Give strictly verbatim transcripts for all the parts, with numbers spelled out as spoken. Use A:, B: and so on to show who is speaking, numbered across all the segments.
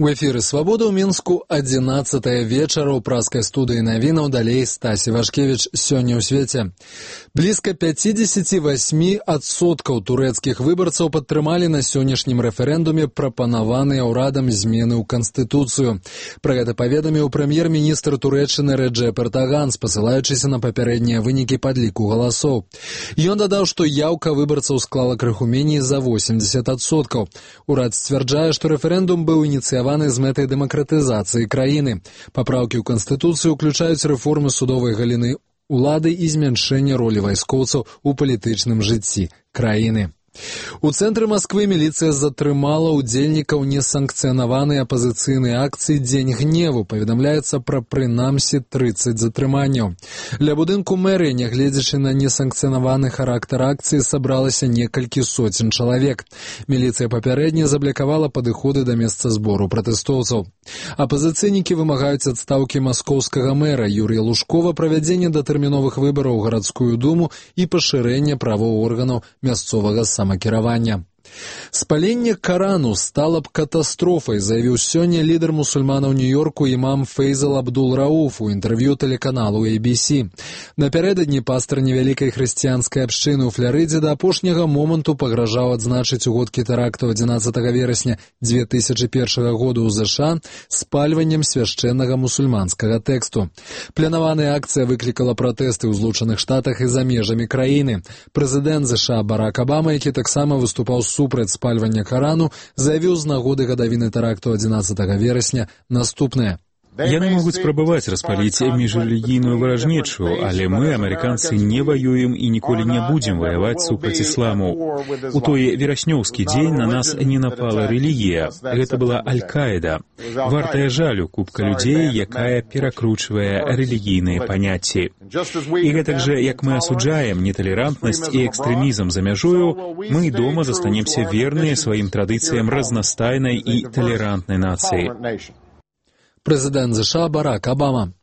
A: У эфіры «Свабода» ў Мінску адзінаццатая вечара ў праскай студыі навінаў, далей Стасі Вашкевіч. Сёння ў свеце. Блізка пятьдесят восемь адсоткаў турэцкіх выбарцаў падтрымалі на сённяшнім рэферэндуме прапанаваныя ўрадам змены ў Канстытуцыю. Пра гэта паведаміў прэм'ер-міністр Турэччыны Рэджэп Эрдаган, спасылаючыся на папярэднія вынікі падліку галасоў. Ён дадаў, што яўка выбарцаў склала крыху меней за восемьдесят адсоткаў. Урад сцвярджае, што рэферэндум быў ініцыяваны з мэтай дэмакратызацыі краіны. Папраўкі ў Канстытуцыю ўключаюць рэформы судовай галіны улады і змяншэнне ролі вайскоўцаў у палітычным жыцці краіны. У цэнтры Масквы міліцыя затрымала ўдзельнікаў несанкцыянаванай апазіцыйнай акцыі «Дзень гневу». Паведамляецца пра прынамсі тридцать затрыманняў. Ля будынку мэрыі, нягледзячы на несанкцыянаваны характар акцыі, сабралася некалькі соцень чалавек. Міліцыя папярэдне заблякавала падыходы да месца збору пратэстоўцаў. Апазіцыйнікі вымагаюць адстаўкі маскоўскага мэра Юрія Лужкова, правядзення датэрміновых выбараў у гарадскую думу і пашырэння правоў органаў мясцовага самакіравання. Спаленне Карану стала б катастрофай, заявіў сёння лідар мусульманаў Нью-Йорку імам Фейзал Абдул-Рауф у інтэрв'ю тэлеканалу эй би си. Напярэдадні пастар невялікай хрысціянскай абшчыны ў Фларыдзе да апошняга моманту пагражаў адзначыць у годкі тэракту адзінаццатага верасня две тысячи першага года ў ЗША спальваннем свяшчэннага мусульманскага тэксту. Планаваная акцыя выклікала пратэсты ў Злучаных Штатах і за межамі краіны. Прэзідэнт ЗША Барак Абама, які таксама выступаў супраць спальвання Карану, заявіў з нагоды гадавіны тэракту адзінаццатага верасня наступнае.
B: Яны могуць спрабаваць распаліць міжрэлігійную варажнечу, але мы, амерыканцы, не ваюем і ніколі не будзем ваяваць супраць ісламу. У той вераснёўскі дзень на нас не напала рэлігія. Гэта была Аль-Каіда. Вартая жалю купка людзей, якая перакручвае рэлігійныя паняцці. І гэтак жа, як мы асуджаем неталерантнасць і экстрэмізм за мяжою, мы дома застанемся верныя сваім традыцыям разнастайнай і талерантнай нацыі.
A: Прэзідэнт ЗША Барак Абама.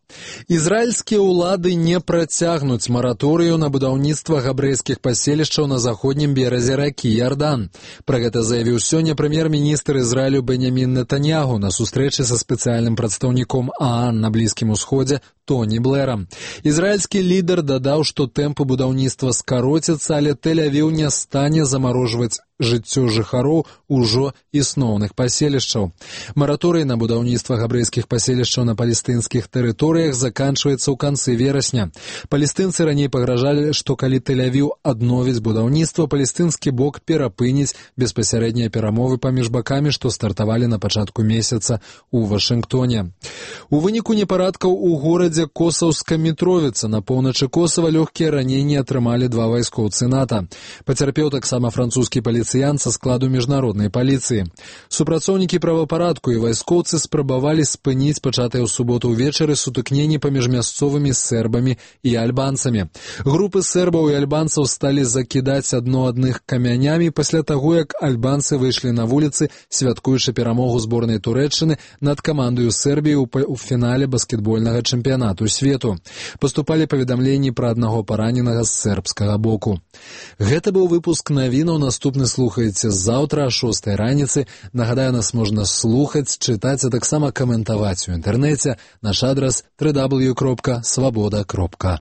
A: Ізраільскія ўлады не працягнуць мараторыю на будаўніцтва габрэйскіх паселішчаў на заходнім беразе ракі Ярдан. Пра гэта заявіў сёння прэм'ер-міністр Ізраілю Беньямін Нетаньягу на сустрэчы са спецыяльным прадстаўніком ААН на Блізкім Усходзе Тоні Блэрам. Ізраільскі лідар дадаў, што тэмпы будаўніцтва скароцяцца, але Тель-Авіў не стане замарожваць жыццё жыхароў ужо існоўных паселішчаў. Мараторый на будаўніцтва габрэйскіх паселішчаў на палестынскіх тэрыторыях заканчваецца ў канцы верасня. Палестынцы раней пагражалі, што калі Тель-Авіў адновіць будаўніцтва, палестынскі бок перапыніць беспасярэднія перамовы паміж бакамі, што стартавалі на пачатку месяца ў Вашынгтоне. У выніку непарадкаў у горадзе Косаўска Мітровіца на поўначы Косава лёгкія раненні атрымалі два вайскоўцы НАТО. Пацярпеў таксама французскі паліцыянт са складу міжнароднай паліцыі. Супрацоўнікі правапарадку і вайскоўцы спрабавалі спыніць пачатыя ў суботу ўвечары сутыкненні паміж мясцовымі сербамі і альбанцамі. Групы сербаў і альбанцаў сталі закідаць адно адных камянямі пасля таго, як альбанцы выйшлі на вуліцы, святкуючы перамогу зборнай Турэччыны над камандаю Сербіі ў фінале баскетбольнага чэмпіянату свету. Паступалі паведамленні пра аднаго параненага з сербскага боку. Гэта быў выпуск навінаў. Наступны слухаеце заўтра о шостай раніцы. Нагадаю, нас можна слухаць, чытаць, а таксама каментаваць у інтэрнэце. Наш адрас дабл ю дабл ю дабл ю кропка свабода кропка